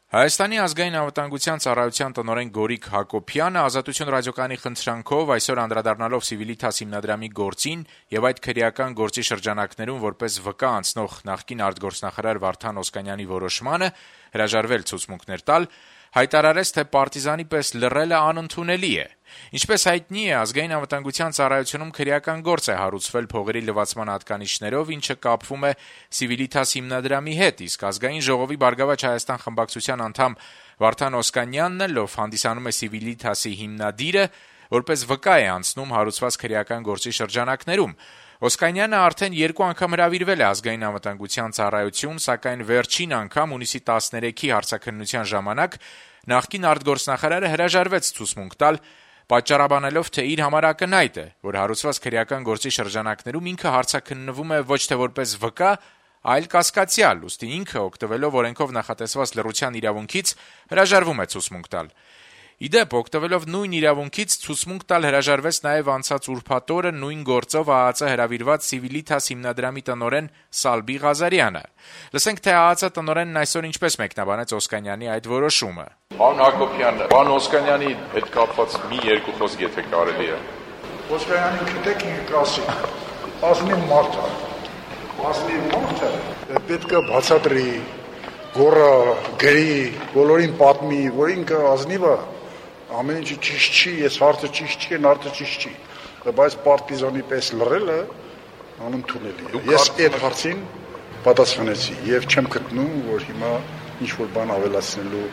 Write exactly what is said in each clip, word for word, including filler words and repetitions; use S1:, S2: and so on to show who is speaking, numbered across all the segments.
S1: Հայաստանի ազգային անվտանգության ծառայության տնօրեն Գորիկ Հակոբյանը «Ազատություն» ռադիոկայանի խնդրանքով այսօր անդրադառնալով Սիվիլիթաս հիմնադրամի գործին եւ այդ քրեական գործի շրջանակներում որպես վկա անցնող նախկին արտգործնախարար Վարդան Օսկանյանի որոշմանը հրաժարվել ցուցմունքներ տալ, հայտարարեց, թե պարտիզանի պես լռելը անընդունելի է։ Ինչպես հայտնի է, ազգային անվտանգության ծառայությունում քրեական գործ է հարուցվել փողերի լվացման հատկանիշներով, ինչը կապվում է Սիվիլիթաս հիմնադրամի հետ, իսկ ազգային ժողովի «Բարգավաճ Հայաստան» խմբակցության անդամ Վարդան Օսկանյանն էլ, ով հանդիսանում է Սիվիլիթասի հիմնադիրը, որպես վկա է անցնում հարուցված քրեական գործի շրջանակներում։ Օսկանյանը արդեն երկու անգամ հրավիրվել է ազգային անվտանգության ծառայություն, սակայն վերջին անգամ հունիսի տասներեքի հարցաքննության ժամանակ նախկին արտգործնախարարը հրաժարվեց ցուցմունք տալ, պատճառաբանելով, թե իր համար ակնհայտ է, որ հարուցված քրեական գործի շրջանակներում ինքը հարցաքննվում է ոչ թե որպես վկա, այլ կասկածյալ, ուստի ինքը օգտվելով օրենքով նախատեսված լռության իրավունքից հրաժարվում է ցուցմունք տալ։ Ի դեպ, օգտվելով նույն իրավունքից ցուցմունք տալ հրաժարվեց նաև անցած ուրբաթ օրը նույն գործով ԱԱԾ հրավիրված Սիվիլիթաս հիմնադրամի տնօրեն Սալբի Ղազարյանը։ Լսենք, թե ԱԱԾ տնօրենն այսօր ինչպես մեկնաբանեց Օսկանյանի այդ որոշումը։
S2: Պարոն Հակոբյան, պարոն Օսկանյանի հետ կապված մի երկու խոսք եթե կարելի է։
S3: Օսկանյանին գիտեք ինքը կասի, ազնիվ մարդ է, ազնիվ մարդը պետք է բացատրի, գոռա, գրի, բոլորին պատմի, որ ինքը ազնիվ է, ամեն ինչը ճիշտ չի, ես հարցը ճիշտ չի, հարցը ճիշտ չի, բայց պարտիզանի պես լռելը անընդունելի է։ Ես այդ հարցին պատասխանեցի եւ չեմ գտնում, որ հիմա ինչ-որ բան ավելացնելու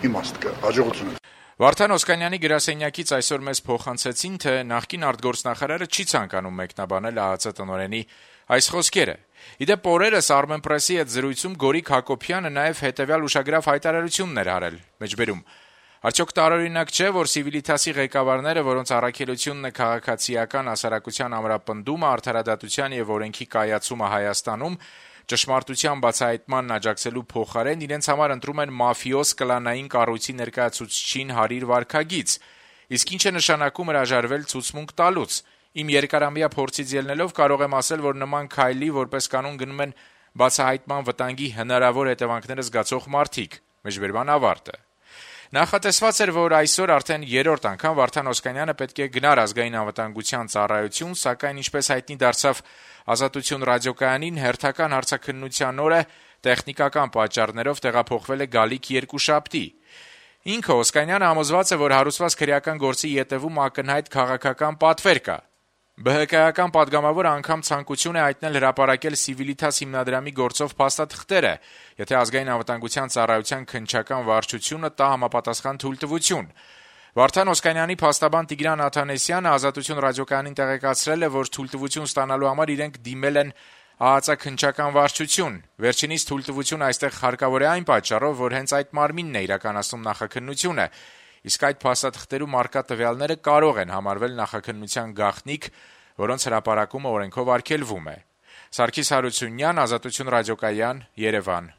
S3: իմաստ կա։ Հաջողություն։
S1: Վարդան Օսկանյանի գրասենյակից այսօր մեզ փոխանցեցին, թե նախկին արտգործնախարարը չի ցանկանում մեկնաբանել ԱԱԾ տնօրենի այս խոսքերը։ Ի դեպ, օրերս Armenpress-ի հետ զրույցում Գորիկ Հակոբյանը նաև հետևյալ ուշագրավ հայտարարություններ արել, մեջբերում. Արդյոք տարօրինակ չէ, որ Սիվիլիթասի ղեկավարները, որոնց առաքելությունն է քաղաքացիական հասարակության ամրապնդումը, արդարադատության եւ օրենքի կայացումը Հայաստանում, ճշմարտության բացահայտմանն աջակցելու փոխարեն իրենց համար ընտրում են մաֆիոզ կլանային կառույցի ներկայացուցչին հարիր վարքագիծ, իսկ ինչ է նշանակում հրաժարվել ցուցմունք տալուց։ Իմ երկարամյա փորձից ելնելով կարող եմ ասել, որ նման քայլի որպես կանոն գնում են բացահայտման վտանգի հնարավոր հետևանքները զգացող մարդիկ։ Մեջբերման ավարտը։ Նախատեսված էր, որ այսօր արդեն երրորդ անգամ Վարդան Օսկանյանը պետք է գնար ազգային անվտանգության ծառայություն, սակայն ինչպես հայտնի դարձավ Ազատություն ռադիոկայանին, հերթական հարցաքննության օրը տեխնիկական պատճառներով տեղափոխվել է գալիք երկուշաբթի։ Ինքը Օսկանյանը համոզված է, որ հարուցված քրեական գործի ետևում ակնհայտ քաղաքական պատվեր կա։ ԲՀԿ-ական падգամավոր անգամ ցանկություն է հայտնել հրապարակել Սիվիլիթաս հիմնադրամի գործով փաստաթղթերը, եթե ազգային անվտանգության ծառայության քննչական վարչությունը տա համապատասխան թույլտվություն։ Վարդան Օսկանյանի փաստաբան Տիգրան Աթանեսյանը Ազատություն ռադիոկայանին տեղեկացրել է, որ թույլտվություն ստանալու համար իրենք դիմել են ԱԱԾ քննչական վարչություն։ Վերջինիս թույլտվություն այստեղ հարկավոր է այն պատճառով, որ հենց այդ մարմինն է իրականացնում նախաքննությունը, իսկ այդ փաստաթղթերում առկա տվյալները կարող են համարվել նախաքննության գաղտնիք, որոնց հրապարակումը օրենքով արգելվում է։ Սարգիս Հարությունյան, Ազատություն ռադիոկայան, Երևան։